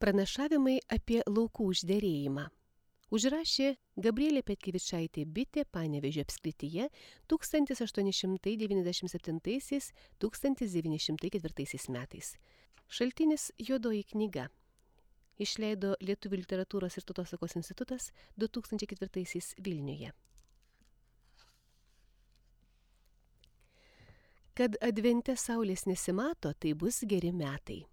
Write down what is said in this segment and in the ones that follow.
Pranašavimai apie laukų užderėjimą. Užrašė Gabrielė Petkevičaitė Bitė Panevėžio apskrityje 1887–1904 metais. Šaltinis Juodoji knyga. Išleido Lietuvių literatūros ir tautosakos institutas 2004 Vilniuje. Kad advente saulės nesimato, tai bus geri metai.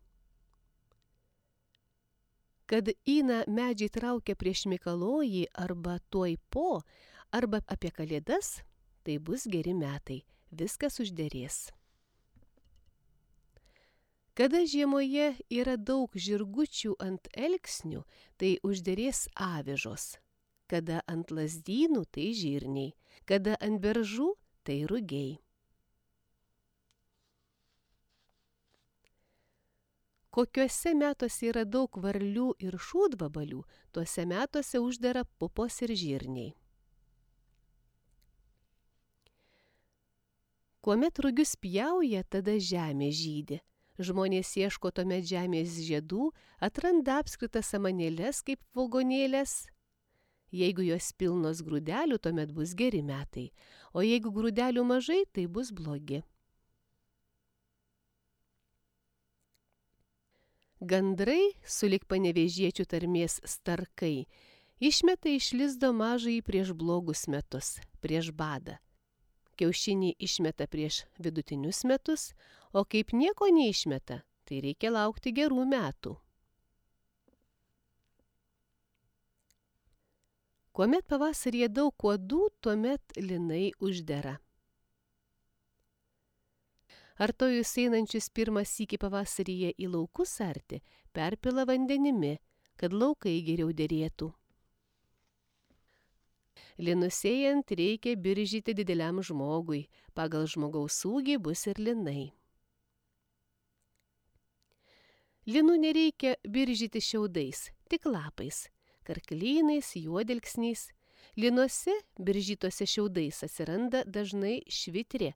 Kad įna medžiai traukia prieš Mikalojį arba tuoj po, arba apie Kalėdas, tai bus geri metai, viskas užderės. Kada žiemoje yra daug žirgučių ant elksnių, tai užderės avižos. Kada ant lazdynų, tai žirniai. Kada ant beržų, tai rugiai. Kokiuose metuose yra daug varlių ir šūdvabalių, tuose metuose uždera pupos ir žirniai. Kuomet rugius pjauja, tada žemė žydi. Žmonės ieško tuomet žemės žiedų, atranda apskritas samanėles kaip vagonėlės. Jeigu jos pilnos grūdelių, tuomet bus geri metai, o jeigu grūdelių mažai, tai bus blogi. Gandrai, sulig panevėžiečių tarmės starkai, išmeta iš lizdo mažąjį prieš blogus metus, prieš badą. Kiaušinį išmeta prieš vidutinius metus, o kaip nieko neišmeta, tai reikia laukti gerų metų. Kuomet pavasaryje daug uodų, tuomet linai uždera. Artojus einančius pirmą sykį pavasaryje į laukus arti, perpila vandenimi, kad laukai geriau derėtų. Linus sėjant reikia biržyti dideliam žmogui, pagal žmogaus ūgį bus ir linai. Linų nereikia biržyti šiaudais, tik lapais, karklynais, juodalksniais. Linuose biržytose šiaudais atsiranda dažnai švitrė,